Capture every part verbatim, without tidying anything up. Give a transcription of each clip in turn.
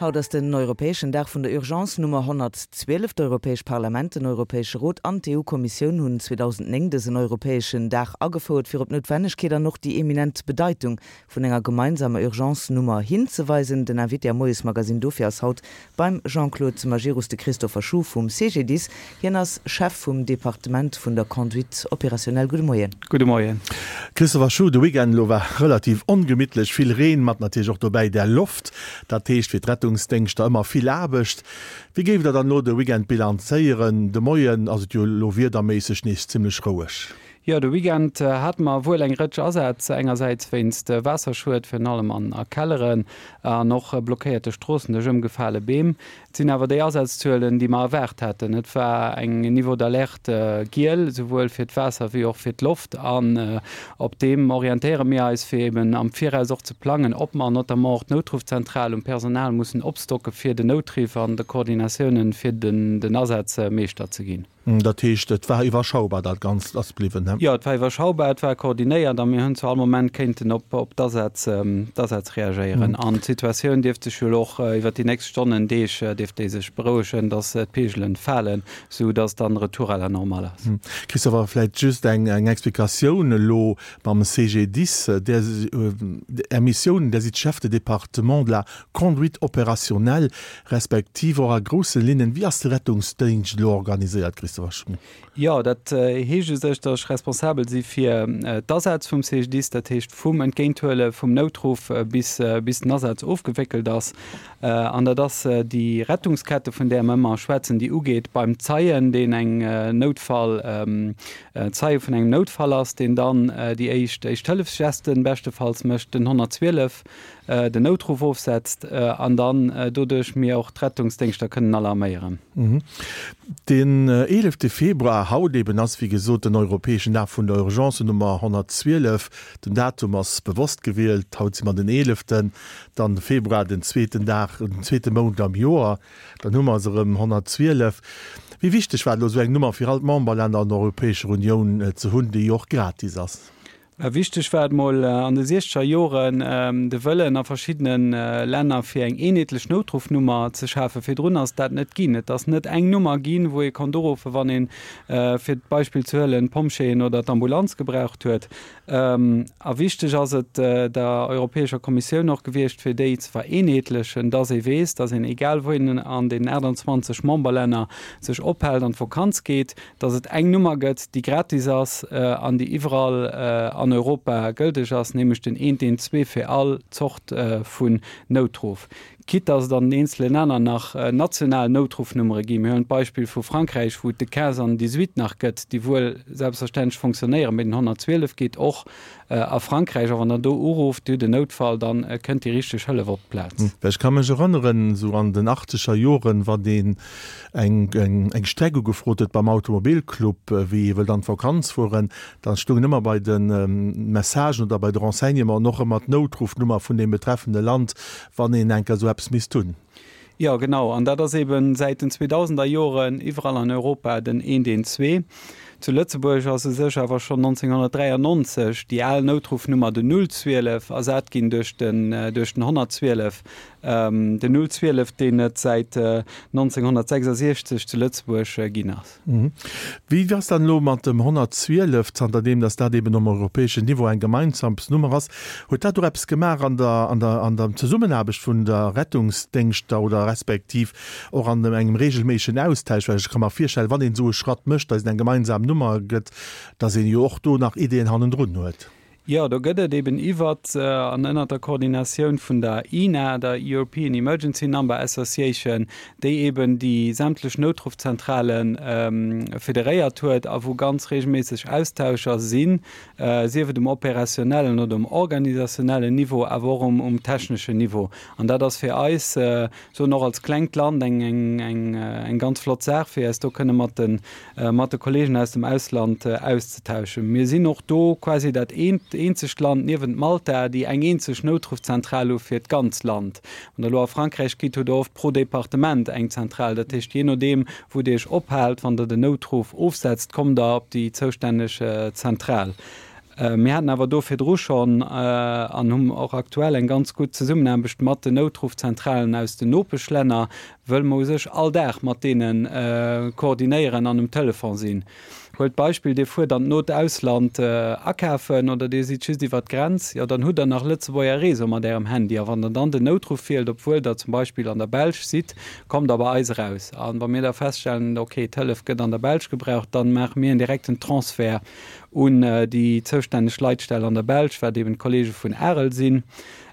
Haut ass den europäeschen Dag vun der Urgence Nummer honnertzwielef. D'Europäescht Parlament, den Europäesche Rot an d'EU-Kommissioun hunn zweedausendnéng dësen europäeschen Dag agefouert, fir op d'Noutwennegkeet an och déi eminent Bedeitung vun enger gemeinsamer Urgence-Nummer hinzeweisen. Den Invité am Moiesmagazine dofir ass haut beim Jean-Claude Majerus de Christopher Schuh vum C G D I S. Hien ass Chef vum Departement vun der Conduite opérationnelle. Gudde Moien. Gudde Moien. Christopher Schuh, de Weekend elo war relativ ongemittlech, vill Reen, mat natierlech och dobäi där Loft. Dat heescht fir d'Rettungsdéngschter ëmmer vill Aarbecht. Wéi géift Der dann elo de Weekend bilanzéieren? De Moien ass et jo elo wiederméisseg nees zimmlech roueg. Jo, de Weekend hate mer wuel eng Rëtsch Asätz, engersäits wéinst Waasserschued, virun allem an a Kelleren, an och blockéierte Stroossen duerch ëmgefale Beem. Et sinn awer déi Asazzuelen, déi mer erwaart haten. Et war eng Niveau d'alerte giel, souwuel fir d'Waasser wéi och fir d'Loft. An op deem orientéiere mir eis, fir eben am Viraus och ze plangen, ob mer notamment och d'Noutruffzentral um Personal mussen opstocke fir den Noutriff an de Koordinatiounen, fir den Asätz Meeschter ze ginn. Dat heescht, et war iwwerschaubar dat Ganzt ass bliwwen, he? Jo, et war iwwerschaubar, et war koordinéiert a mir hunn zu all Moment kéinten op op d'Asätz d'Asätz reagéieren. An d'Situatioun dierft sech jo elo och iwwert déi nächst Stonnen, Deeg dierft déi sech berouegen, datt d'Peegelen falen, sou datt dann Retour à la normale ass. Christopher, vläicht just eng eng Explikatioun elo mam C G D I S, där Är Missioun, Där sidd Chef de département de la conduite opérationnelle, respektiv och a grousse Linnen, wéi ass de Rettungsdéngscht elo organiséiert, Christopher Schuh? Jo, dat heescht u sech, datt ech responsabel si fir d'Asätz vum C G D I S, dat heescht vum Entgéinthuele vum Noutruff bis bis den Asaz ofgewéckelt ass. An dat ass déi Rettungskette, vun där mer ëmmer schwätzen, déi ugeet beim Zeien, deen eng Noutfall, Zeie vun engem Noutfall ass, deen dann déi éischt Éischt-Hëllefsgesten beschtefalls mécht, den honnertzwielef, den Noutruff ofsetzt an dann doduerch mir och d'Rettungsdéngschter kënnen alarméieren. Den eelefte Februar, haut eben, ass wéi gesot den europäeschen Dag vun der Urgence Nummer honnertzwielef. Den Datum ass bewosst gewielt, haut si mer den eeleften, dann de Februar, den zweeten Dag, den zweete Mount am Joer, dann hu mer se erëm, honnertzwielef. Wéi wichteg war et elo esou eng Nummer fir all d'Memberlänner an der Europäescher Unioun ze hunn, déi jo och gratis ass? Wichteg war et mol an de siechzeger Joren de Wëllen a verschiddene Länner fir eng eenheetlech Noutruffnummer ze schafen. Virdrun ass dat net ginn. Et ass net eng Nummer ginn, wou ee konnt uruffen, wann een, fir d'Beispill ze huelen, d'Pompjeeën oder d'Ambulanz gebraucht huet. A wichteg ass et der Europäescher Kommissioun och gewiescht, fir déi ze vereenheetlechen, dass ee weess, dass een, egal wou een an den aachtanzwanzeg Memberlänner sech ophält, an d'Vakanz geet, dass et eng Nummer gëtt, déi gratis ass an déi iwwerall an Europa gëlteg ass, nämlech den eent eent zwee fir all Zort vun Noutruff. Quitte dass et an den eenzele Länner nach national Noutruffnummere ginn. Mir huelen d'Beispill vu Frankräich, wou et de quinze an den dix-huit nach gëtt, déi wuel selbstverständlech fonctionnéieren, mee den honnertzwielef geet och a Frankräich. A wann Der do urufft, Dir hutt en Noutfall, da kënnt déi richteg Hëllef op d'Plaz. Well ech ka mech erënneren, esou an den achtzeger Joren, wann een eng Streck ugefrot huet beim Automobilclub, wéi ee wëllt an d'Vakanz fueren, da stoungen ëmmer bei de Messagen oder bei de Renseignementen och ëmmer d'Noutruffnummer vun deem betreffende Land, wann een eng Kéier esou eppes misst hunn. Jo, genau. An dat ass eeben säit den zweedausender Joren iwwerall an Europa den eent eent zwee. Zu Lëtzebuerg ass u sech awer schonn nonzénghonnertdräiannonzeg déi al Noutruffnummer, den null zwielef, ersat ginn duerch den duerch den honnertzwielef. Den null zwielef, deen et säit nonzénghonnertsechsasiechzeg zu Lëtzebuerg ginn ass. Wéi ass dann elo mat dem honnertzwielef, zanterdeem datt dat eben um europäeschen Niveau eng gemeinsam Nummer ass, huet dat och eppes gemaach an der an der an der Zesummenaarbecht vun der Rettungsdéngschter oder respektiv och an engem regelméissegen Austausch? Well ech ka mer virstellen, wann een esou e Schratt mécht, datt et eng gemeinsam Nummer gëtt, datt een jo och do nach Ideeën hannendrun huet. Jo, do gëtt et eben iwwert an ënnert der Koordinatioun vun der E E N A, der European Emergency Number Association, déi eben déi sämtlech Noutruffzentrale federéiert huet a wou ganz regelméisseg Austauscher sinn, sief et um operationellen oder um organisationellen Niveau, awer och um techneschen Niveau. An dat ass fir eis, soen och als klengt Land, eng ganz flott Saach, fir eis do kënne mat de mat de Kollegen aus dem Ausland auszetauschen. Mir sinn och do quasi dat eenzegt Land niewent Malta, déi eng eenzeg Noutruffzentral hu fir d'ganz Land. Wann Der elo a Frankräich gitt, hutt Der oft pro Departement eng Zentral. Dat heescht, jee nodeem, wou Dir Iech ophaalt, wann Der den Noutruff ofsetzt, kommt Der op déi zoustänneg Zentral. Mir haten awer do virdru schonn an hunn och aktuell eng ganz gutt Zesummenaarbecht mat den Noutruffzentralen aus den Nopeschlänner, wëll mer u sech all Dag mat deene koordinéieren an um Telefon sinn. Huelt d'Beispill, Dir fuert an d'not Ausland akafen oder Dir sidd just iwwer d'Grenz, jo dann hutt Der nach Lëtzebuerger Réseau mat Ärem Handy a wann Der dann den Noutruff wielt, obwuel Der zum Beispill an der Belsch sidd, kommt Der bei eis eraus. A wa mir da feststellen, okay, d'Hëllef gëtt an der Belsch gebraucht, dann maache mir en direkten Transfert un déi zoustänneg Leitstell an der Belsch, wat eben d'Kollege vun Arel sinn.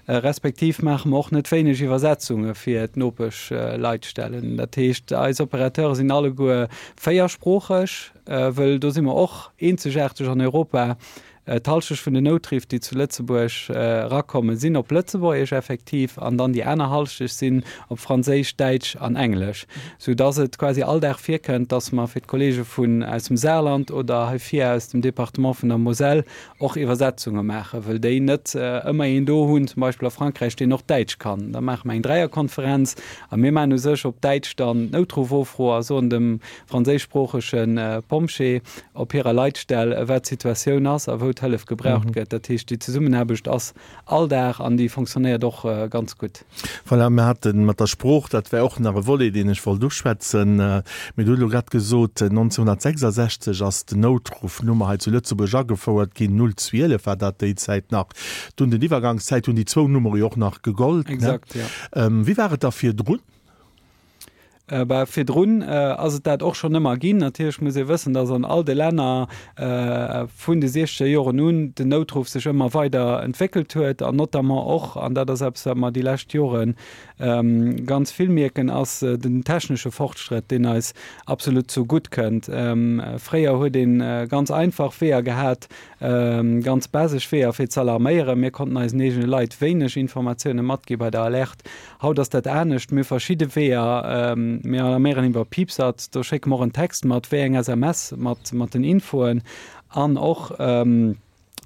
Respektiv maache mer och net wéineg Iwwersetzunge fir d'Nopeschleitstellen. Dat heescht, eis Opérateure sinn alleguer véiersproocheg, wëll do si mer och eenzegaarteg an Europa. D'Hallschecht vun den Noutriff, déi zu Lëtzebuerg erakommen, sinn op Lëtzebuergesch effektiv an dann déi aner Hallschecht sinn op Franséisch, Däitsch an Englesch, sou dass et quasi all Dag virkënnt, dass mer fir d'Kollege vun aus dem Saarland oder hei vir aus dem Département vun der Moselle och Iwwersetzunge maachen, wëll déi net ëmmer een do hunn, zum Beispill a Frankräich, deen och Däitsch kann. Da maache mer eng Dräierkonferenz a mir maachen u sech op Däitsch dann d'Noutruffofro a soen dem franséischsproochege Pompjee op hirer Leitstell, wat d'Situatioun ass a wou d'Hëllef gebraucht gëtt. Dat heescht, déi Zesummenaarbecht ass all Dag an déi fonctionnéiert och ganz gutt. Voilà, mir hate mat der Sprooch, dat wär och nach e Volet, deen ech wollt uschwätzen. Mee du hutt elo grad gesot, nonzénhunnertsechsasechzeg ass den Noutruffnummer hei zu Lëtzebuerg agefouert ginn, null zwielef war dat déi Zäit nach. Dunn den Iwwergangszäit hunn déi zwou Nummere jo och nach gegollt, ne? Exakt, jo. Wéi war et da virdrun? Bah, virdrun ass et dat och schonn ëmmer ginn. Natierlech muss ee wëssen, dass an all de Länner vun de siechzeger Joren un den Noutruff sech ëmmer weider entwéckelt huet an notamment och, an dat ass eppes, wat mer déi lescht Jore ganz vill mierken, ass den technesche Fortschrëtt, deen eis absolut zu gutt kënnt. Fréier huet ee ganz einfach Weeër gehat, ganz basesch Weeër fir ze alarméieren. Mir konnten eisen eegene Leit wéineg Informatioune matgi bei der Alerte. Haut ass dat anescht. Mir hu verschidde Weeër. Mir alarméieren iwwer Piepsert, do schécke mer och en Text mat, wéi eng S M S mat mat den Infoen an och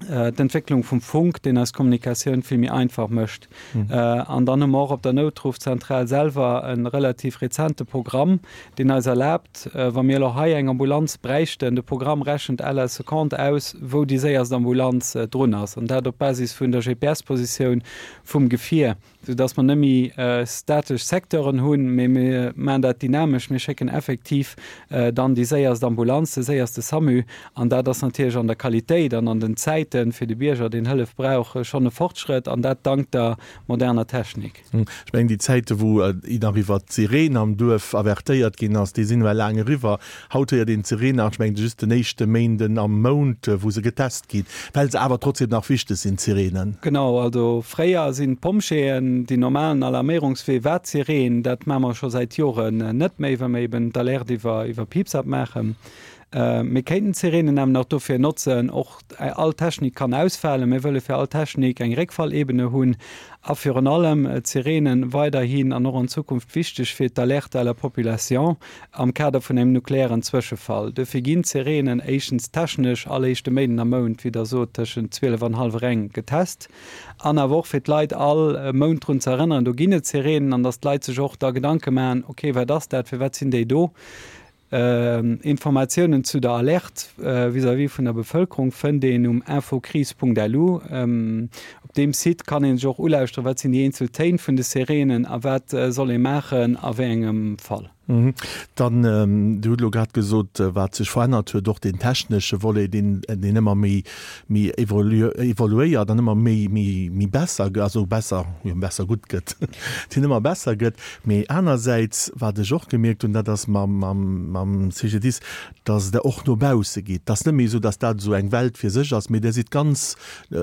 d'Entwécklung vum Funk, deen eis Kommunikatioun vill méi einfach mécht. An dann hu mer och op der Noutruffzentral selwer e relativ rezente Programm, deen eis erlaabt, wa mir elo hei eng Ambulanz bräichten, de Programm rechent à la seconde aus, wou déi séierst Ambulanz drun ass, an dat op Basis vun der G P S-Positioun vum Gefier, soudass mer net méi statesch Secteuren hunn, mee mir maachen dat dynamesch, mir schécken effektiv dann déi séierst Ambulanz, de séierste SAMU, an dat ass natierlech an der Qualitéit an an den Zäite fir de Bierger, deen Hëllef brauch, schonn e Fortschrëtt, an dat dank der moderner Technik. Ech mengen, déi Zäite wou nach iwwert d'Sireen am Duerf avertéiert ginn ass, déi sinn ewell laang eriwwer. Haut héiert een d'Sireen nach, ech mengen, just den éischte Méinden am Mount, wou se getest ginn, well se awer trotzdem nach wichteg sinn, d'Sireenen. Genau, also fréier sinn d'Pompjeeën, deen normalen Alarméierungswee war d'Sireen. Dat maache mer scho säit Joren net méi, well mer eben d'Alerte iwwer, iwwer Piepsapp maachen. Mir kéinten d'Sireenen awer nach dofir notzen, och all Technik kann ausfalen. Mir wëlle fir all Technik eng Réckfallebene hunn a virun allem d'Sireenen weiderhin an och an Zukunft wichteg fir d'Alerte à la population am Kader vun engem nukleären Zwëschefall. Dofir ginn d'Sireenen éischtens technesch all éischte Méinden am Mount, wéi Der sot, tëschent zwielef an hallwer eng getest an awer och fir d'Leit all Mount drun ze erënneren, do ginn et Sireenen an datt d'Leit sech och da Gedanke maachen, okay, wat ass dat, firwat sinn déi do? Informatiounen zu der Alerte vis-à-vis vun der Bevëlkerung fënnt een um infocrise punkt lu. Op deem Site kann ee sech och ulauschteren, wat sinn déi eenzel Téin vun de Sireenen a wat soll ee maachen a wéi engem Fall. Dann, Dir hutt elo grad gesot, wat sech verännert huet, och deen technesche Volet, deen deen ëmmer méi méi evoluéiert an ëmmer méi méi méi besser, also besser, jo besser gutt gëtt, deen ëmmer besser gëtt. Mee anersäits, wat ech och gemierkt hunn, dat ass mam mam mam C G D I S, dass Der och no bausse gitt. Et ass net méi esou, dass dat esou eng Welt fir sech ass, mee Der sidd ganz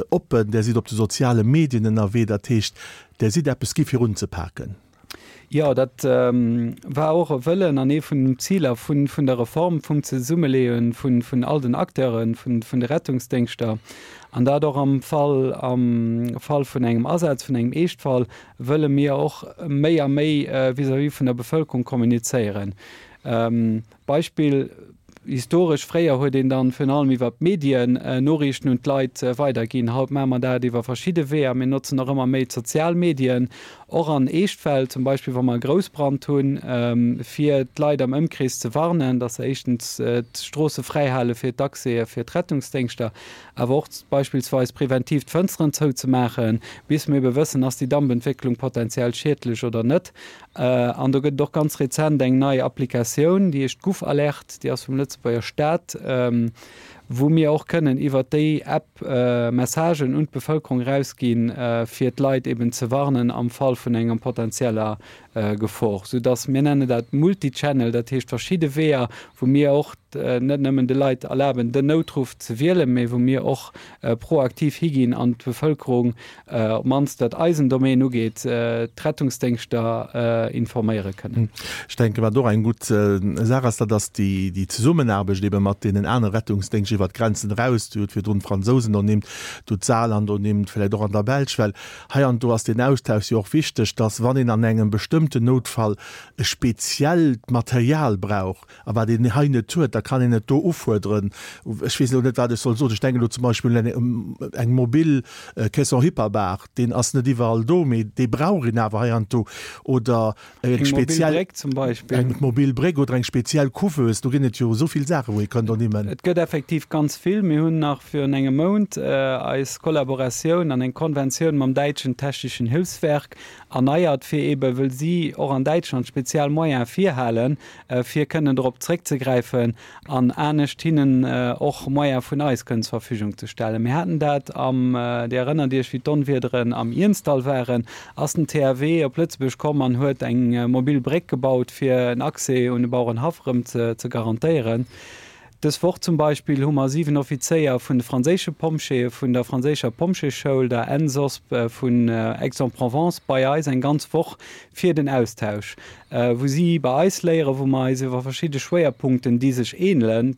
oppen, Der sidd op de soziale Medien ënnerwee, dat heescht, Der sidd eppes gi fir unzepaken. Jo, dat war och e Wëllen an ee vun den Ziler vun vun der Reform, vum Zesummeleeë vun vun all den Acteure vun vun de Rettungsdéngschter. An dat och am Fall am Fall vun engem Asaz, vun engem Eeschtfall, wëlle mir och méi a méi vis-à-vis vun der Bevëlkerung kommunizéieren. Beispill, Historesch fréier huet een dann virun allem iwwer d'Medien Noriichten un d'Leit weiderginn. Haut maache mer dat iwwer verschidde Weeër. Mir notzen och ëmmer méi d'sozial Medien, och an Eeschtfäll, zum Beispill wa mer e Groussbrand hunn, fir d'Leit am Ëmkrees ze warnen, dass se éischtens d'Stroosse fräihale fir d'Accèse fir d'Rettungsdéngschter, awer och beispillsweis preventiv d'Fënsteren zouzemaachen, bis mir ebe wëssen, ass déi Dampentwécklung potenziell schiedlech oder net. An do gëtt et och ganz rezent eng nei Applikatioun, déi heescht GouvAlert, déi ass vum Lëtzebuerger Staat, wou mir och kënnen iwwert déi App Messagen un d'Bevëlkerung erausginn, fir d'Leit eben ze warnen am Fall vun enger potenzieller Gefor, soudass, mir nennen dat Multichannel, dat heescht verschidde Weeër, wou mir och net nëmmen de Leit erlaben, den Noutruff ze wielen, mee wou mir och proaktiv higinn an d'Bevëlkerung, op d'mannst wat eisen Domaine ugeet, d'Rettungsdéngschter informéiere kënnen. Ech denken, wat och eng gutt Saach ass, dat ass déi Zesummenaarbecht ebe mat deenen anere Rettungsdéngscht iwwert d'Grenzen eraus. Dir hutt virdrun d'Fransousen ernimmt, Dir hutt d'Saarland ernimmt, vläicht och an der Belsch, well hei an do ass deen Austausch jo och wichteg, dass, wann een an engem bestëmmten Noutfall e speziellt Material brauch a wat een hei net huet, da kann een et do ufuerderen. Ech weess elo net, wat ech soll soen. Ech denken elo zum Beispill un eng mobil Caisson hyperbar, deen ass net iwwerall do, mee dee brauch een awer heiansdo. Oder eng speziell. Eng mobil Bréck zum Beispill. Eng mobil Bréck oder eng speziell Couveuse. Do ginn et jo esou vill Saachen, wou ee kënnt ernimmen. Et gëtt effektiv ganz vill. Mir hunn nach virun engem Mount eis Kollaboratioun an eng Konventioun mam däitschen Technischen Hilfswerk erneiert, fir eebe wëll si och an Däitschland speziell Moyene virhalen, fir kënnen dorop zréckzegräifen an anescht hinnen och Moyene vun eis kënnen zur Verfügung ze stellen. Mir haten dat am, Dir erënnert Iech, wéi d'Onwiederen am Iernzdall waren, ass den T H W op Lëtzebuerg komm an huet eng mobil Bréck gebaut, fir en Accès un de Bauerenhaff erëm ze garantéieren. Dës Woch zum Beispill hu mer siwen Offizéier vun de franséische Pompjeeë vun der franséischer Pompjeeschoul, der ENSOSP vun Aix-en-Provence, bei eis eng ganz Woch fir den Austausch, wou si bei eis léieren, wou mer eis iwwer verschidde Schwéierpunkten, déi sech ähnelen,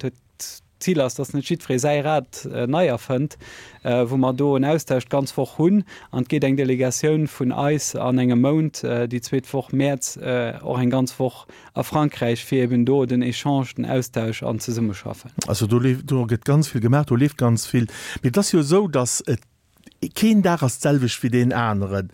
d'Zil ass, dass net jiddweree säi Rad nei erfënnt, wou mer do en Austausch d'ganz Woch hunn. An et geet eng Delegatioun vun eis an engem Mount, déi zweet Woch Mäerz, och eng ganz Woch a Frankräich, fir eben do den Echange, den Austausch an d'Zesummeschaffen. Also do leeft, do gëtt ganz vill gemaach, do leeft ganz vill. Mee et ass jo esou, dass et keen Dag ass d'selwecht wéi deen aneren.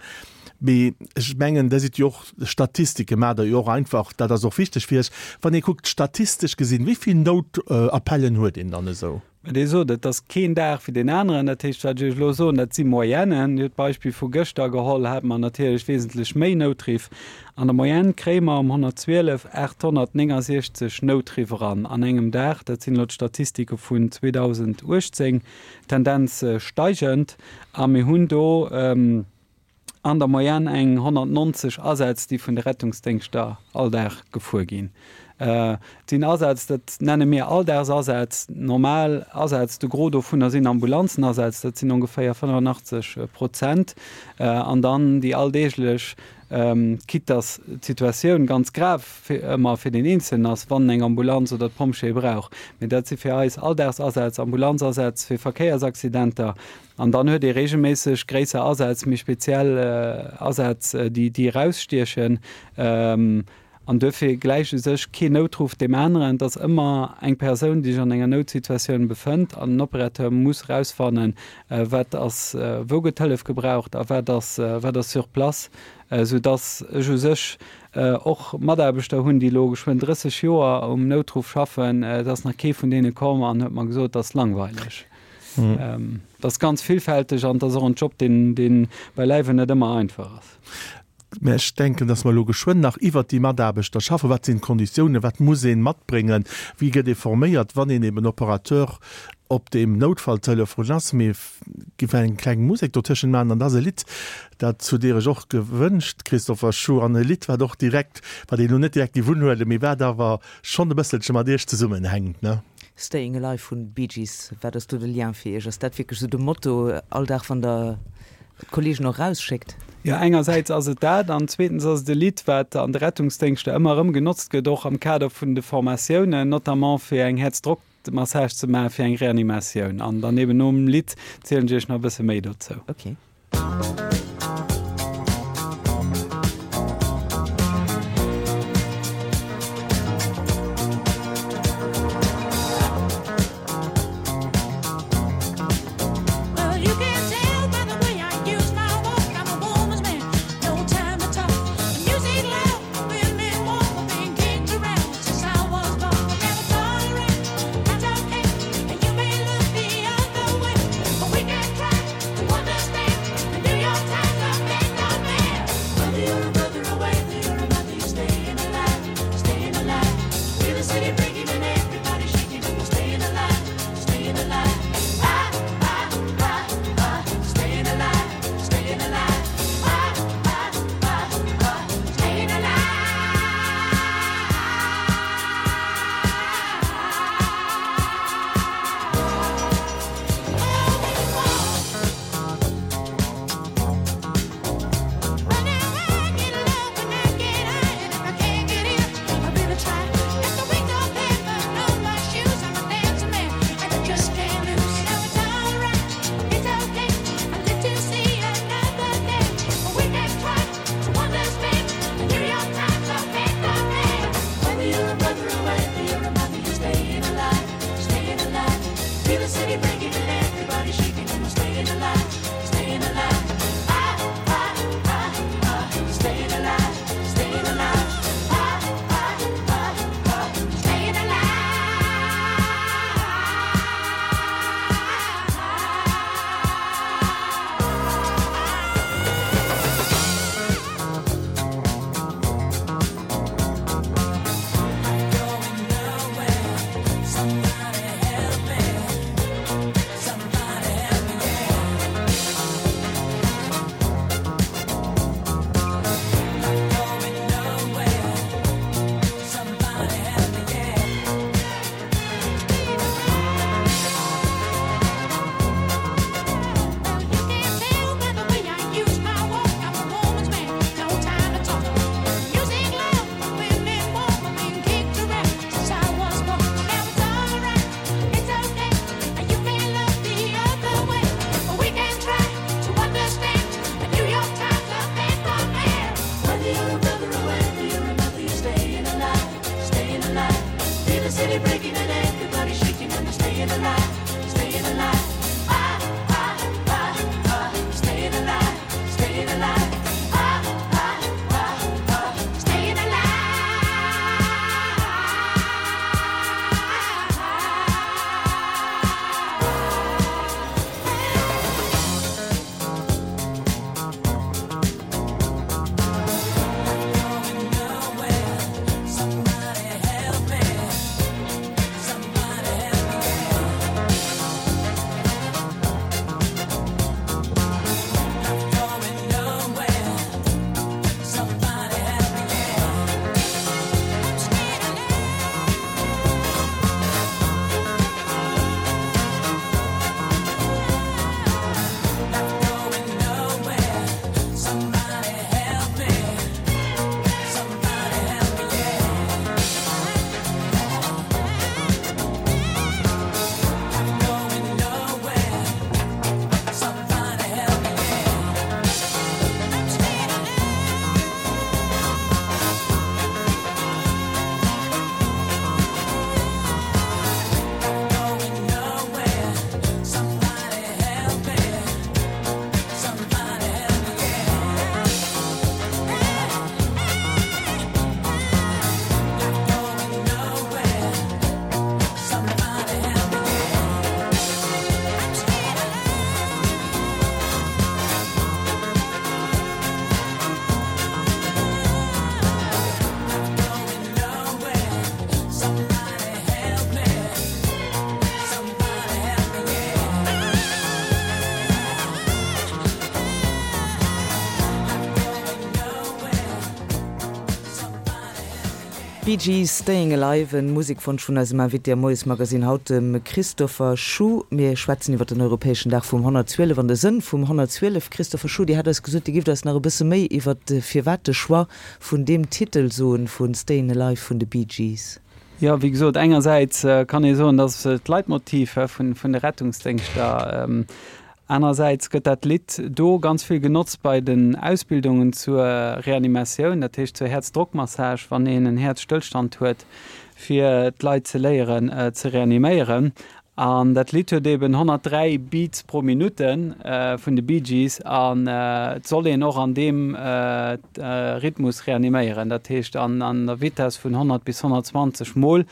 Mee ech mengen, Der sidd jo och, Statistike maacht Der jo och einfach, dat ass och wichteg fir Iech. Wann ee kuckt, statistesch gesinn, wéi vill Noutappellen huet een dann esou? Mä Dir sot, et ass keen Dag wéi deen aneren. Dat heescht, wat ech Iech elo soen, dat si Moyennen. Dir hutt d'Beispill vu gëschter geholl, hate mer natierlech wesentlech méi Noutriff. An der Moyenne kréie mer um honnertzwielef aathonnertnéngasiechzeg Noutriff eran an engem Dag. Dat sinn elo d'Statistike vun zweedausenduechtzéng, Tendenz steigend. A mir hunn do an der Moyenne eng honnertnonzeg Asätz, déi vun de Rettungsdéngschter all Dag gefuer ginn. Et sinn Asätz, dat nenne mir Alldagsasätz, normal Asätz, de Gros dovunner sinn Ambulanzenasätz, dat sinn ongeféier fënnefenachtzeg Prozent. An dann déi alldeeglech, quitte dass d'Situatioun ganz grav ëmmer fir deen Eenzelnen ass, wann en eng Ambulanz oder d'Pompjeeë brauch. Mee dat si fir eis Alldagsasaz, Ambulanzasätz fir Verkéiersaccidenter. An dann huet ee reegelméisseg gréisser Asätz, méi speziell Asätz, déi déi erausstiechen. An duerfir gläicht u sech keen Noutruff deem aneren. Et ass ëmmer eng Persoun, déi sech an enger Noutsituatioun befënnt, an den Opérateur muss erausfannen, wat ass, wou gëtt Hëllef gebraucht a wat ass, wat ass sur place, soudass ech u sech och Mataarbechter hunn, déi elo geschwënn drësseg Joer um Noutruff schaffen. Et ass nach kee vun deene komm an huet mer gesot, et ass langweileg. Et ass ganz villfälteg an et ass och en Job, deen, dee beileiwen net ëmmer einfach ass. Mä ech denken, dass mer elo geschwënn nach iwwert déi Mataarbechter schaffen. Wat sinn d'Konditiounen? Wat muss ee matbréngen? Wéi gëtt ee forméiert, wann een eben Operateur op deem Noutfalltelefon ass? Mir géifen eng kleng Musek dotëschent maachen an da ass e Lidd, dat hutt Dir Iech och gewënscht, Christopher Schuh, an e Lidd, wat och direkt, wat een elo net direkt géif unhuelen, mee wat awer schonn e bësselche mat Iech zesummenhänkt, ne? Staying Alive vun Bee Gees, wat ass do de Lien fir Iech? Ass dat wierklech esou de Motto all Dag, wann Der d'Kollegen och erausschéckt? Jo, engersäits ass et dat an zweetens ass et e Lidd, wat an de Rettungsdéngschter ëmmer erëm genotzt gëtt, och am Kader vun de Formatiounen, notamment fir eng Häerzdrockmassage ze maachen, fir eng Reanimatioun. An dann eben nom Lidd zielen ech Iech nach e bësse méi dozou. Okay. Bee Gees, Staying Alive, en Musekwonsch vun eisem Invité am Moiesmagazin haut, dem Christopher Schuh. Mir schwätzen iwwer den europäeschen Dag vum honnertzwielef an de Sënn vum honnertzwielef. Christopher Schuh, Dir hat eis gesot, Dir gifft eis nach e bësse méi iwwer firwat de Choix vun deem Titel soen, vu Staying Alive vun de Bee Gees. Jo, wéi gesot, engersäits kann ee soen, dass et d'Leitmotiv vun de Rettungsdéngschter. Anerersäits gëtt dat Lidd do ganz vill genotzt bei den Ausbildungen zur Reanimatioun, dat heescht zur Häerzdrockmassage, wann een en Häerzstëllstand huet, fir d'Leit ze léieren ze reaniméieren. An dat Lidd huet eben honnertdräi Beats pro Minutte vun de Bee Gees an et soll een och an deem Rhythmus reaniméieren, dat heescht an der Vitess vun honnert bis honnertzwanzeg Mol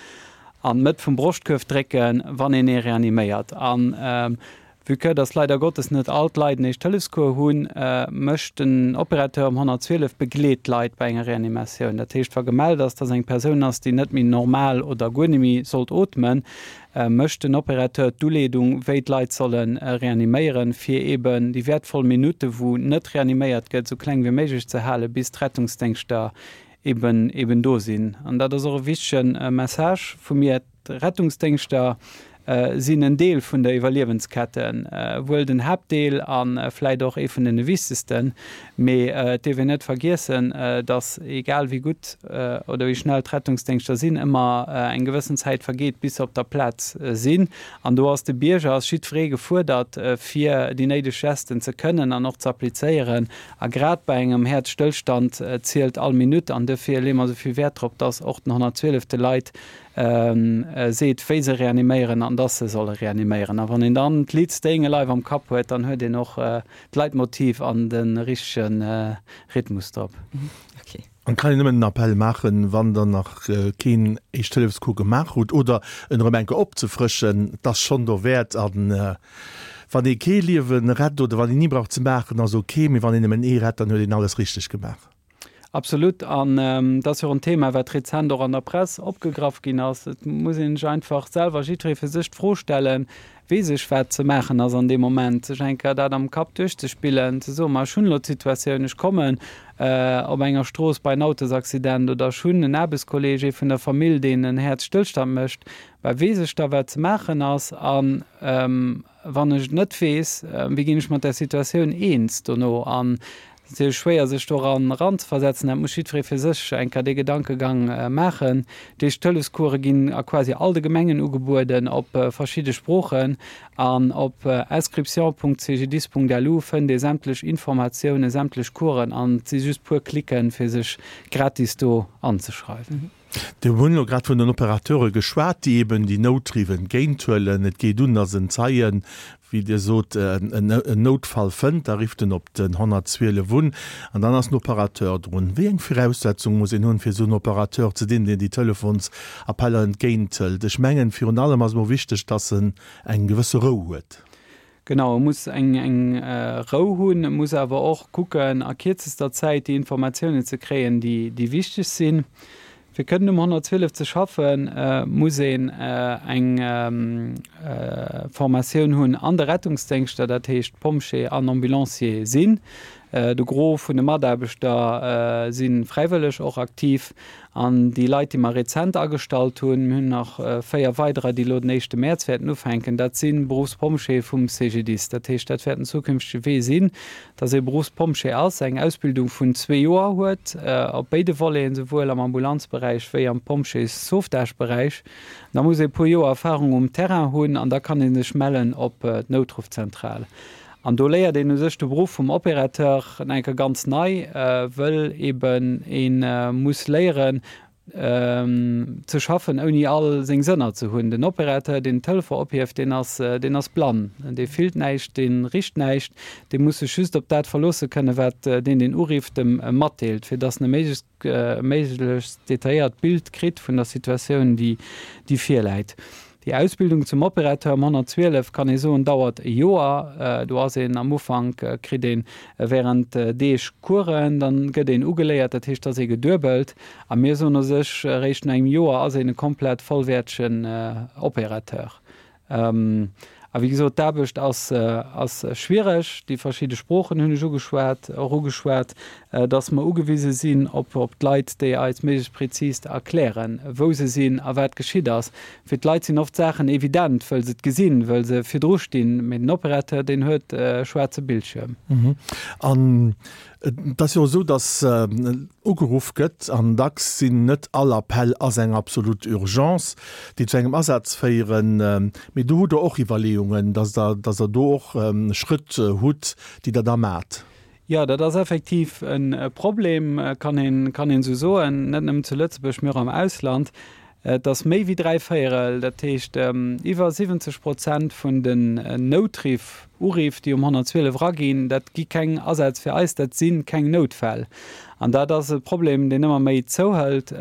an d'Mëtt vum Broschtkuerf drécken, wann een ee reaniméiert. An vue que dass leider Gottes net all d'Leit en Éischt-Hëllefscours hunn, mécht den Opérateur um honnertzwielef begleet d'Leit bei enger Reanimatioun. Dat heescht, wa gemellt ass, dass eng Persoun ass, déi net méi normal oder guer net méi sollt ootmen, mécht den Opérateur d'Uleedung, wéi d'Leit solle reaniméieren, fir eeben déi wäertvoll Minutte wou net reaniméiert gëtt, esou kleng wéi méiglech ze halen, bis d'Rettungsdéngschter eben eben do sinn. An dat ass och e wichtege Message vu mir, D'Rettungsdéngschter sinn en Deel vun der Iwwerliewensketten, wuel den Haaptdeel a vläit och ee vun den wichtegsten, mee et dierf een net vergiessen, datt egal wéi gutt oder wéi schnell d'Rettungsdéngschter sinn, ëmmer eng gewëssen Zäit vergeet, bis se op der Plaz sinn. An do ass de Bierger, ass jiddweree gefuerdert, fir déi néideg Gesten ze kënnen an och ze applizéieren. A grad bei engem Häerzstëllstand zielt all Minutt an duerfir leeë mer esou vill Wäert drop, datt och den honnertzwielef de Leit seet, wéi se reaniméieren an dass se solle reaniméieren. A wann een dann d'Lidd Staying Alive am Kapp huet, dann huet een och d'Leitmotiv an de richtege Rhythmus drop. An kann een nëmmen den Appell maachen, wann der nach keen Éischt-Hëllefs-Cours gemaach hutt oder en erëm eng Kéier opzefrëschen, et ass schonn dowäert. An wann ee kee Liewe rett oder wann een ni brauch ze maachen, ass ok, mee wann een nëmmen ee rett, dann huet een alles richteg gemaach. Absolut. An dat ass jo och en Thema, wat rezent och an der Press opgegraff ginn ass. Et muss ee sech einfach selwer, jiddweree fir sech, d'Fro stellen, Weess ech, wat ze maachen ass an deem Moment? Sech eng Kéier dat am Kapp duerchzespillen, ze soen, ma ech hunn elo d'Situatioun, ech kommen op enger Strooss bei en Autosaccident oder ech hunn en Aarbechtskolleeg, ee vun der Famill, deen en Häerzstëllstand mécht, bah, weess ech da, wat ze maachen ass? An wann ech et net weess, wéi ginn ech mat där Situatioun eens dono? An Et ass natierlech schwéier, sech doran eranzeversetzen. Dat muss jiddweree fir sech eng Kéier dee Gedankegang maachen. D'Éischt-Hëllefscourse ginn a quasi all de Gemengen ugebueden, op verschidde Sproochen. An op inscription.cgdis.lu fënnt ee sämtlech Informatiounen, sämtlech Coursen an et si just puer Klicken, fir sech gratis do anzeschreiwen. Dir hunn elo grad vun den Opérateure geschwat, déi eben déi Noutriff entgéinthuelen. Et geet un, datt en Zeien, wéi Dir sot, en Noutfall fënnt, da rifft en op den honnertzwielef un an dann ass den Opérateur drun. Wéi eng Viraussetzung muss een hunn, fir esou en Opérateur ze dinn, deen déi Telefonsappeller entgéinthëlt? Ech mengen, virun allem ass emol wichteg, datt en eng gewësse Rou huet. Genau, e muss eng eng Rou hunn, e muss awer och kucken, a kierzester Zäit déi Informatiounen ze kréien, déi déi wichteg sinn. Fir kënnen um honnertzwielef ze schaffen, muss een eng Formatioun hunn an de Rettungsdéngschter, dat heescht Pompjee an Ambulancier sinn. De Gros vun de Mataarbechter si fräiwëlleg och aktiv. An déi Leit, déi mer rezent agestallt hunn, mir hunn nach véier weiderer, déi elo den éischte Mäerz wäerten ufänken, dat si Beruffspompjeeë vum C G D I S. Dat heescht, dat wäert en zukünftege Wee sinn, dass ee Beruffspompjee ass, eng Ausbildung vun zwee Joer huet, op béide Voleten, souwuel am Ambulanzberäich wéi am Pompjees-Sauvetage-Beräich. Da muss ee e puer Joer Erfarung um Terrain hunn an da kann ee sech mellen op d'Noutruffzentral. An do léiert een u sech de Beruff vum Opérateur nach eng Kéier ganz nei, wëll eben ee muss léieren ze schaffen, ouni all seng Sënner ze hunn. Den Opérateur, deen den Telefon ophieft, deen ass, deen ass blann, dee fillt näischt, dee richt näischt, dee muss sech just op dat verloosse kënnen, wat deen, deen urifft, em matdeelt, fir dass en e méiglechst, méiglechst detailléiert Bild kritt vun der Situatioun, déi, déi virläit. Déi Ausbildung zum Opérateur am honnertzwielef, kann ee soen, dauert e Joer. Do ass een am Ufank, kritt ee während Deeg Coursen, dann gëtt een ugeléiert, dat heescht, da ass ee geduebelt. A mir soen u sech, eréischt no engem Joer ass een e komplett vollwäertegen Opérateur. A wéi gesot, d'Aarbecht ass, ass schwiereg. Déi verschidde Sproochen hunn ech ugeschwat, och ugeschwat, dass mer ugewise sinn op, op d'Leit, déi eis méiglechst prezis erklären, wou se sinn a wat geschitt ass. Fir d'Leit sinn oft Saachen evident, wëll se et gesinn, wëll se virdru stinn, mee den Opérateur, deen huet e schwaarze Bildschierm. An Et ass jo esou, datt ugeruff gëtt, an dacks sinn net all Appell ass eng absolut Urgence, déi zu engem Asaz féieren. Mee do hutt Der och Iwwerleeungen, datt Der, datt Der do och Schrëtt hutt, déi Der da maacht. Jo, dat ass effektiv e Problem, kann een, kann een esou soen, net nëmmen zu Lëtzebuerg, mee och am Ausland. Et ass méi wéi dräi Véierel, dat heescht iwwer siwwenzeg Prozent vun den Noutriff, Uriff, déi um honnertzwielef eraginn, dat gi keng Asätz fir eis, dat si keng Noutfäll. An dat ass e Problem, deen ëmmer méi zouhëlt,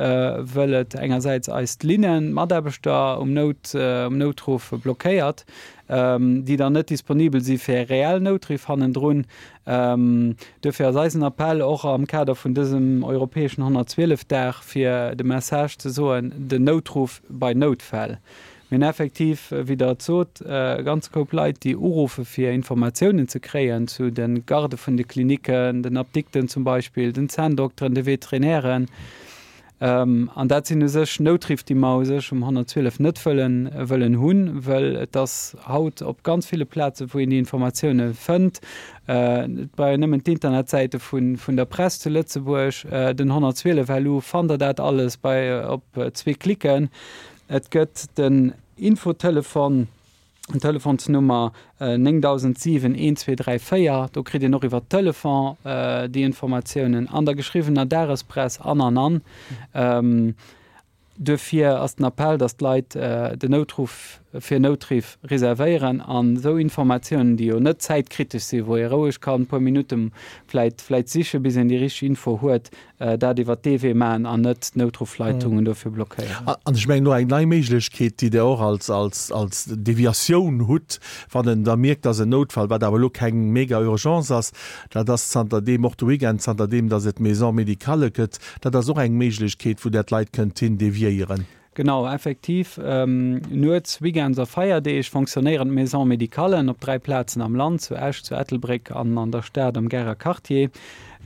wëll et engersäits eis d'Linnen, d'Mataarbechter um Nout, um Noutruff blockéiert, déi dann net disponibel si fir reell Noutriff hannendrun. Duerfir ass eisen Appell och am Kader vun dësem europäeschen honnertzwielef Dag, fir de Message ze soen, den Noutruff bei Noutfäll. Mir hunn effektiv, wéi Der et sot, e ganze Koup Leit, déi uruffe fir Informatiounen ze kréien zu de Gardë vun de Klinicken, den Apdikten zum Beispill, den Zänndokteren, de Veterinären. An dat sinn u sech Noutriff, déi mer u sech um honnertzwielef net wëllen, wëllen hunn, well et ass haut op ganz ville Plazen, wou een déi Informatioune fënnt. Et brauch een nëmmen d'Internetsäite vun, vun der Press zu Lëtzebuerg, den honnertzwielef L U fannt Der dat alles bei op zwee Klicken. Et gëtt den Infotelefon. Telefonsnummer néngdausendsiwen een zwee dräi véier, do kritt een och iwwer Telefon déi Informatiounen, an der geschriwwener Dagespress an an an. Duerfir ass den Appell, datt d'Leit den Noutruff fir Noutriff reservéieren an esou Informatiounen, déi jo net zäitkritesch sinn, wou ee roueg kann e puer Minutte vläit vläit siche bis een déi richteg Info huet, dat iwwert dee Wee maachen an net d'Noutruffleitungen dofir blockéieren. An ech mengen och eng nei Méiglechkeet, déi Der och als, als, als Deviatioun hutt, wann en da mierkt, dass en Noutfall, wat awer elo keng mega Urgence ass, dat ass zanter deem, och de Weekend, zanter deem, dass et Maisons médicales gëtt, dat ass och eng Méiglechkeet, wou Der d'Leit kënnt hin deviéieren. Genau, effektiv. Nuets, Weekends a Feierdeeg fonctionnéieren d'Maisons médicallen op dräi Plazen am Land, zu Esch, zu Ettelbréck an an der Stad am Garer Quartier.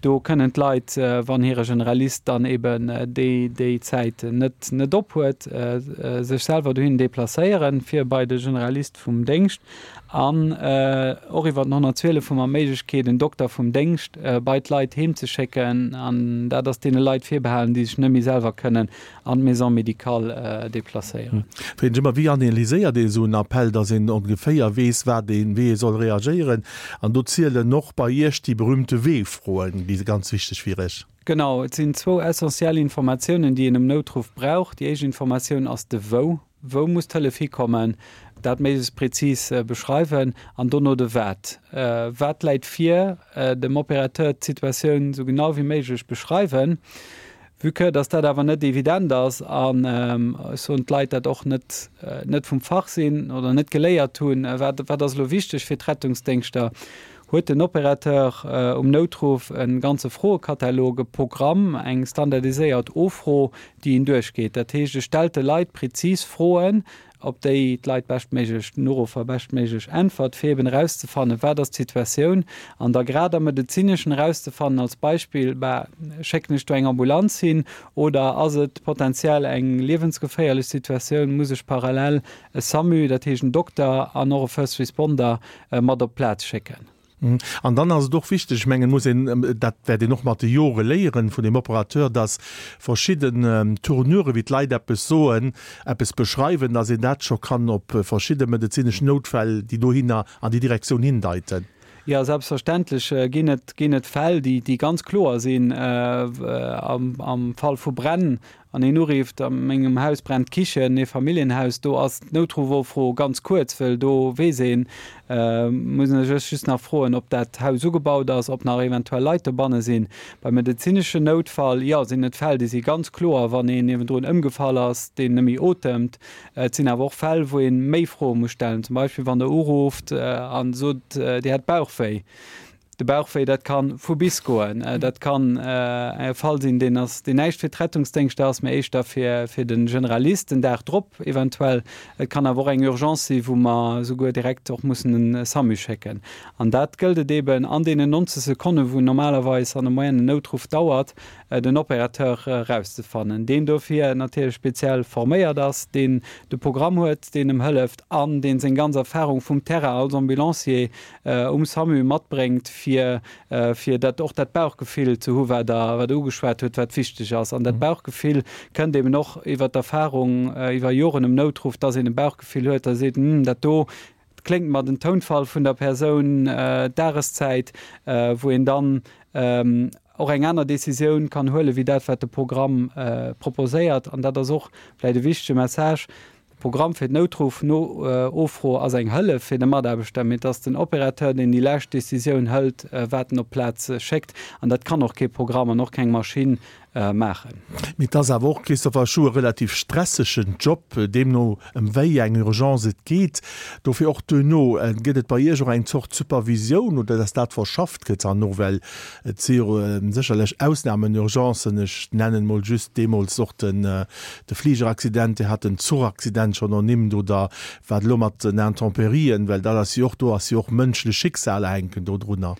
Do kënnen d'Leit, wann hire Generalist dann eben déi déi Zäit net net op huet, sech selwer dohin deplacéieren, fir bei de Generalist vum Déngscht. An och iwwer den honnertzwielef hu mer d'Méiglechkeet, en Dokter vum Déngscht bei d'Leit heem ze schécken. An dat ass deene Leit virbehalen, déi sech net méi selwer kënnen an d'Maison médicale deplacéieren. Froen ech ëmmer, Wéi analyséiert ee sou en Appell, dass een ongeféier weess, wat een, wéi ee soll reagéieren? An do zielen och bei Iech déi berühmte W-Froen, déi ganz wichteg fir Iech. Genau, et sinn zwou essentiell Informatiounen, déi een um Noutruff brauch. Déi éischt Informatioun ass de Wou. Wou muss d'Hëllef hikommen? Dat méiglechst prezis beschreiwen. An dono de Wat. Wat läit vir? Dem Opérateur d'Situatioun esou genau wéi méiglech beschreiwen. Vue que dass dat awer net evident ass an ech soen, d'Leit dat och net net vum Fach sinn oder net geléiert hunn, wat wat ass elo wichteg fir d'Rettungsdéngschter, huet den Opérateur um Noutruff e ganze Froekatalog, e Programm, eng standardiséiert Offro, déi en duerchgeet. Dat heescht, e stellt de Leit prezis Froen, op déi d'Leit beschtméiglech, den Uruffer beschtméiglech äntwert, fir eben erauszefannen, wat ass d'Situatioun, an da grad am Medezineschen erauszefannen, als Beispill, bah, schécken ech do eng Ambulanz hin oder ass et potenziell eng liewensgeféierlech Situatioun, muss ech parallel e SAMU, dat heescht en Dokter an och e First Responder mat op d'Plaz schécken. An dann ass et och wichteg, ech mengen, muss een, dat wäert een och mat de Jore léieren vun dem Operateur, dass verschidden Tournurë wéi d'Leit eppes soen, eppes beschreiwen, dass een dat scho kann op verschidde medezinesch Noutfäll, déi dohinner an déi Direktioun hindeiten. Jo, selbstverständlech ginn et, ginn et Fäll, déi, déi ganz kloer sinn. Am, am Fall vu Bränn An een urifft, A mengem Haus brennt d'Kichen, Eefamilljenhaus, do ass d'Noutruffofro ganz kuerz, wëll do weess een, muss een sech just nach froen, ob dat Haus ugebaut ass, ob nach eventuell Leit dobanne sinn. Beim medezineschen Noutfall, jo, sinn et Fäll, déi si ganz kloer, wann een niewendrun ëmgefall ass, deen net méi otemt. Et sinn awer och Fäll, wou ee méi Froe muss stellen, zum Beispill wann Der urufft a sot, Dir hätt Bauchwéi. De Bauchwéi, dat ka vu bis goen. Dat kann e Fall sinn, deen ass, deen näischt fir d'Rettungsdéngschter ass, mä éischter fir, fir de Generalist den Dag drop eventuell. Et kann awer och eng Urgence si wou mer esouguer direkt och mussen e SAMU schécken. An dat gëllt et eeben an deenen neunzeg Sekonnen, wou normalerweis an der Moyenne en Noutruff dauert, den Opérateur erauszefannen, deen dofir natierlech speziell forméiert ass, deen de Programm huet, deen em hëlleft an deen seng ganz Erfahrung vum Terrain als Ambulancier um SAMU matbréngt, fir fir dat och dat Bauchgefill ze hu wat Der wat Der ugeschwat hutt, wat wichteg ass. An dat Bauchgefill kënnt eben och iwwer d'Erfahrung iwwer Joren um Noutruff, dass een e Bauchgefill huet, da seet, Hm, dat do kléngt mer, den Tounfall vun der Persoun, d'Dageszäit, wou een dann och eng aner Décisioun kann huelen, wéi dat, wat de Programm proposéiert. An dat ass och vläicht e wichtege Message, De Programm fir d'Noutruff-Offro ass eng Hëllef fir de Mataarbechter, mee et ass den Opérateur, deen déi lescht Décisioun hëlt, wat en op d'Plaz schéckt. An dat kann och kee Programm an och keng Maschinn maachen. Mee et ass awer och, Christopher Schuh, e relativ stressegen Job, deemno ëm wéi eng Urgence et geet. Dofir och duerno, gëtt et bei Iech och eng Zort Supervisioun oder dass dat verschafft gëtt herno? Well et si jo sécherlech Ausnamen-Urgencen, ech nennen emol just deemools och den de Fligeraccident, Dir hat den Zuchaccident schonn ernimmt oder wat elo mat den Intemperien, well dat ass jo och, do ass jo och mënschlech Schicksaler hänken do drunner.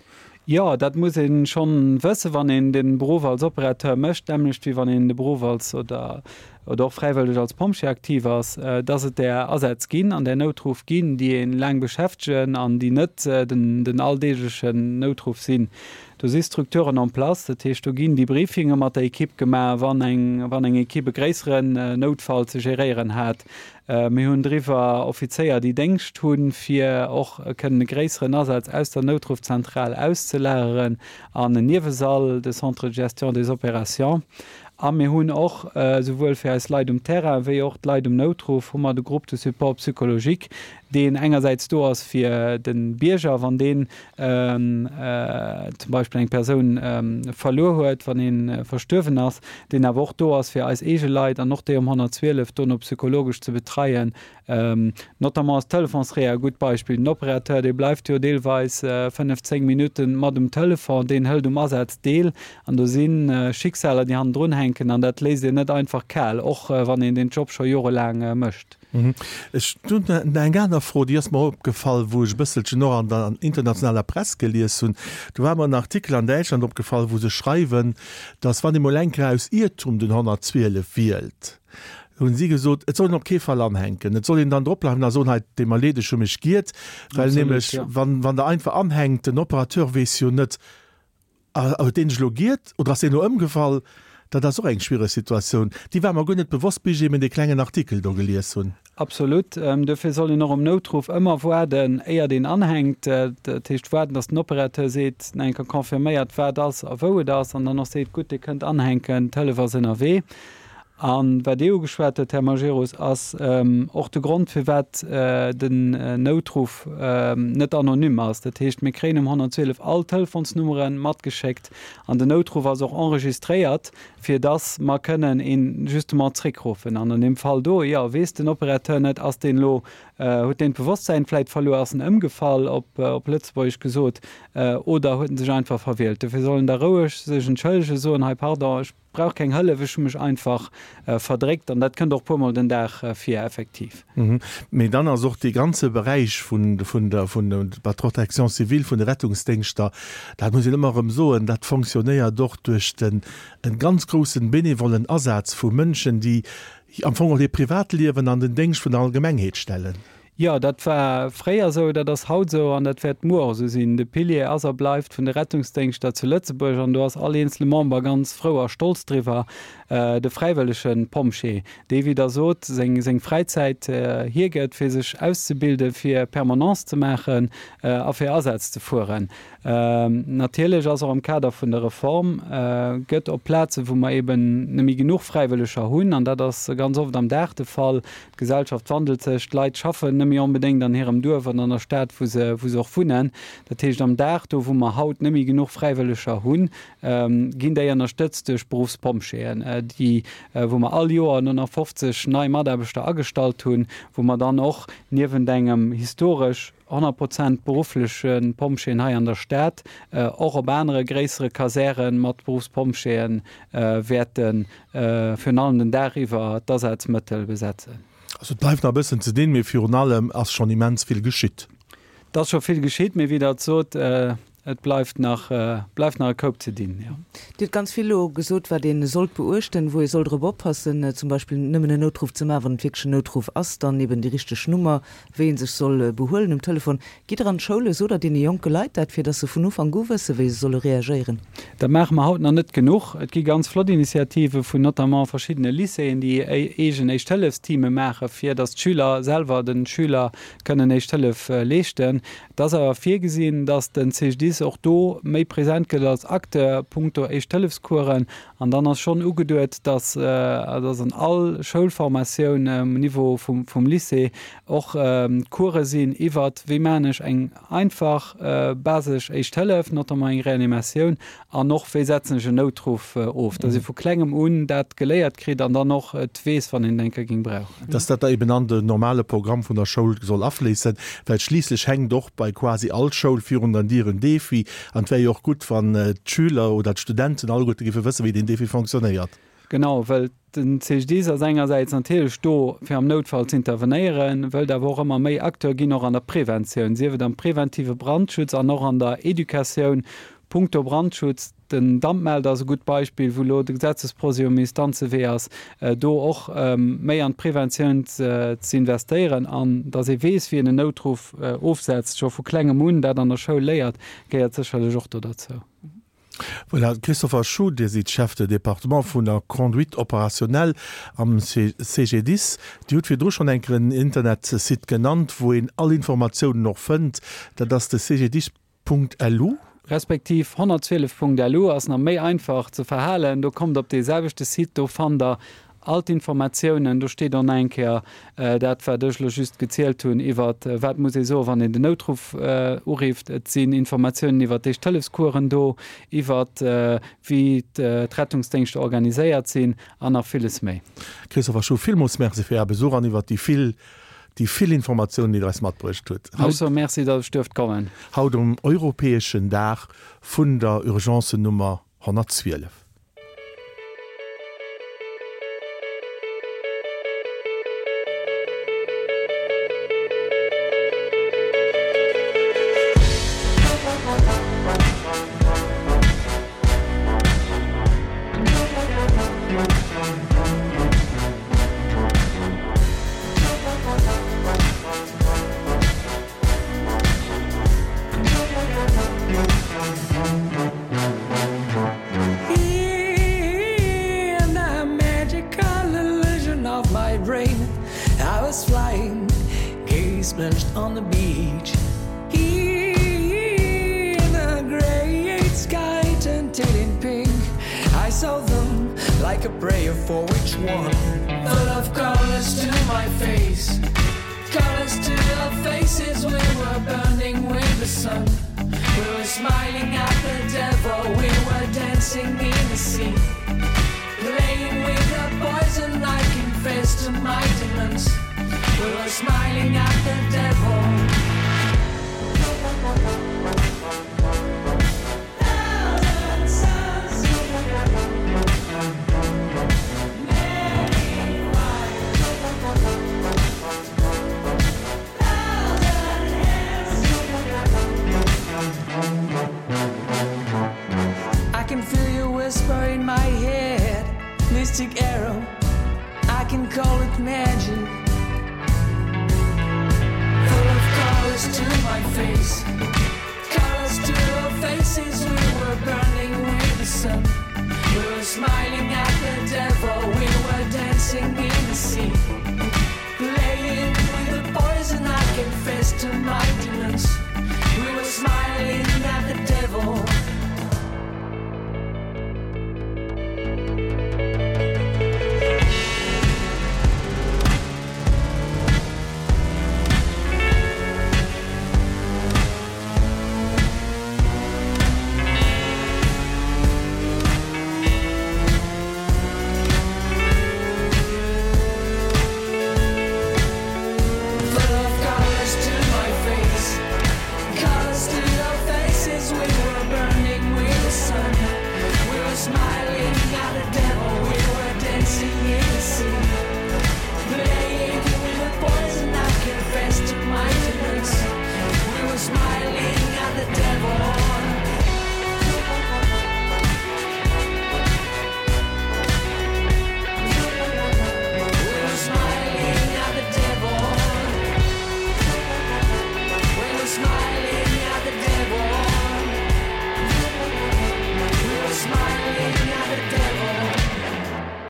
Jo, dat muss ee schonn wëssen, wann een de Beruff als Opérateur mécht, d'nämmlecht wéi wann een de Beruff als oder oder och fräiwëlleg als Pompjee aktiv ass, dass et där Asätz ginn an där Noutruff ginn, déi ee laang beschäftegen an déi net den den alldeeglechen Noutruff sinn. Do si Structuren en place, dat heescht, do ginn Debriefinge mat der Ekipp gemaach, wann eng wann eng Ekipp e gréisseren Noutfall ze geréieren hat. Mir hunn driwwer Offizéier, déi Déngscht hunn, fir och kënnen e gréisseren Asaz aus der Noutruffzentral auszelageren an en Niewesall, de Centre de gestion des opérations. A mir hunn och, souwuel fir eis Leit um Terrain wéi och d'Leit um Noutruff, hu mer de Groupe de support psychologique, deen engersäits do ass fir de Bierger, wann deen zum Beispill eng Persoun verluer huet, wann ee verstuerwen ass, deen awer och do ass fir eis eege Leit an och déi um honnertzwielef dono psychologesch ze betreien. Notamment ass d'Telefonsrea e gutt Beispill. Den Opérateur, dee bleift jo deelweis fënnef, zéng Minutte mat um Telefon, deen hëlt um Asaz deel an do si Schicksaler, déi hannendrun hänken an dat léisst een net einfach kal, och wann een deen Job scho jorelaang mécht. Ech hunn eng aner Fro, déi ass mer opgefall, wou ech e bësselchen och an der internationaler Press gelies hunn. Do war mer en Artikel an Däitschland opgefall, wou se schreiwen, datt wann ee mol eng Kéier aus Iertum den honnertzwielef wielt, hunn si gesot, et soll een op kee Fall anhänken. Et soll een dann dropbleiwen a soen, hei, et deet mer leed, ech hu mech giert. Well nämlech, wann Der einfach anhänkt, den Operateur weess jo net, huet deen sech elo giert oder ass deen elo ëmgefall. Dat ass och eng schwiereg Situatioun. Déi war mer guer net bewosst, bis ech eben dee klengen Artikel do gelies hunn. Absolut. Dofir soll een och um Noutruff ëmmer waarden, éiert een anhänkt. Dat heescht waarden, datt den Opérateur seet, nach eng Kéier confirméiert, wat ass a wou et ass, an dann och seet, gutt, Dir kënnt anhänken, d'Hëllef ass ënnerwee. A wat Dir ugeschwat hutt, Här Majerus, ass och de Grond, firwat den Noutruff net anonym ass. Dat heescht, mir kréien um honnertzwielef all Telefonsnummere matgeschéckt an den Noutruff ass och enregistréiert, fir dass mer kënnen een justement zréckruffen. An an deem Fall do, jo, weess den Opérateur net, ass deen elo, huet deen d'Bewosstsäin vläicht verluer, ass en ëmgefall, op Lëtzebuergesch gesot, oder huet en sech einfach verwielt. Dofir soll en da roueg sech entschëllegen, soen, hei, pardon, ech brauch keng Hëllef, ech hu mech einfach verdréckt. An dat kënnt och puermol den Dag vir, effektiv. Mee dann ass och dee ganze Beräich vun der vun der Protection civile, vun de Rettungsdéngschter, dat muss een ëmmer erëm soen, dat fonctionnéiert och duerch den e ganz groussen benevollen Asaz vu Mënschen, déi am Fong och hiert Privatliewen an den Déngscht vun der Allgemengheet stellen. Jo, dat war fréier esou, dat ass haut esou an dat wäert muer och esou sinn. De Pilier ass a bleift vun de Rettungsdéngschter zu Lëtzebuerg an do ass all eenzele Member ganz frou a stolz driwwer, de fräiwëllege Pompjee, dee, wéi Der sot, seng seng Fräizäit hiergëtt, fir sech auszebilden, fir Permanence ze maachen a fir Asätz ze fueren. Natierlech ass och am Kader vun der Reform, gëtt op Plazen, wou mer eben net méi genuch Fräiwëlleger hunn, an dat ass ganz oft am Dag de Fall, d'Gesellschaft wandelt sech, d'Leit schaffen net méi onbedéngt an hirem Duerf an an der Stad, wou se, wou se och wunnen. Dat heescht, am Dag, do wou mer haut net méi genuch Fräiwëlleger hunn, ginn déi ënnerstëtzt duerch Beruffspompjeeën, déi, wou mer all Joer no nach fofzeg nei Mataarbechter agestallt hunn, wou mer dann och niewent engem historesch, honnert Prozent beruffleche Pompjeeën hei an der Stad, och op anere gréissere Kasäre mat Beruffspompjeeë wäerte virun allem den Dag iwwer d'Asazmëttel besetzen. Also et bleift nach e bëssen ze dinn, mee virun allem ass schonn immens vill geschitt. Et ass scho vill geschitt, mee wéi Der et sot, et bleift nach, bleift nach e Koup ze dinn, jo. Dir hutt ganz vill elo gesot, wat ee sollt beuechten, wou ee soll drop oppassen, zum Beispill nëmmen en Noutruff ze maachen, wann et wierklech en Noutruff ass, dann eben déi richteg Nummer, wéi ee sech soll behuelen um Telefon. Gitt Der an d'Schoule, sot Der deene jonke Leit dat, fir datt se vun Ufank u wëssen, wéi se solle reagéieren? Dat maache mer haut nach net genuch. Et gi ganz flott Initiative vun notamment verschiddene Lycéeën, déi eegen Éischt-Hëllefs-Teame maachen, fir datt d'Schüler selwer de Schüler kënnen Éischt Hëllef leeschten. Et ass awer virgesinn, datt den C G D I S och do méi present gëtt als Acteur punkto Éischt-Hëllefscoursen. An dann ass schonn ugeduet, datt datt an all Schoulformatioun um Niveau vum vum Lycée och Course sinn iwwert, wéi maachen ech eng einfach basesch Éischt Hëllef, notamment eng Reanimatioun, an och wéi setzen ech en Noutruff of, datt ee vu klengem un dat geléiert kritt an dann och et weess, wann een et eng Kéier géing brauchen. Datt dat da eben an den normale Programm vun der Schoul soll afléissen, well schliisslech hänkt och bei quasi all Schoul virun der Dier en Defi an et wär jo och gutt, wann d'Schüler oder d'Studenten alleguerte géife wëssen, wéi deen Defi fonctionnéiert. Genau, well den C G D I S ass engersäits natierlech do, fir am Noutfall z'intervenéieren, wëllt awer och ëmmer méi Acteur ginn och an der Preventioun, sief et am preventive Brandschutz an och an der Educatioun punkto Brandschutz. Den Dampmelder ass e gutt Beispill, wou elo de Gesetzesprojet um Instanzewee ass, do och méi an d'Preventioun z'investéieren an datt ee weess, wéi een en Noutruff ofsetzt, scho vu klengem un dat an der Schoul léiert, gehéiert sécherlech och do derzou. Voilà, Christopher Schuh, Dir sidd Chef de département vun der Conduite opérationnelle am C G D I S. Dir hutt virdru schonn eng Kéier en Internetsite genannt, wou een all Informatiounen och fënnt. Dat ass de C G D I S Punkt L U. Respektiv honnertzwielef Punkt L U ass nach méi einfach ze verhalen. Do kommt op dee selwechte Site, do fannt der all d'Informatiounen. Do steet och nach eng Kéier dat, wat ech elo just gezielt hunn, iwwer wat muss ee soen, wann een den Noutruff urifft. Et sinn Informatiounen iwwer d'Éischt-Hëllefscoursen do, iwwer wéi d'Rettungsdéngschter organiséiert sinn an nach villes méi. Christopher Schuh, villmools Merci fir Är Besuch an iwwer déi vill, déi vill Informatiounen, déi Der eis matbruecht hutt. Ech soe Merci, datt ech duerft kommen. Haut um europäeschen Dag vun der Urgencennummer honnertzwielef.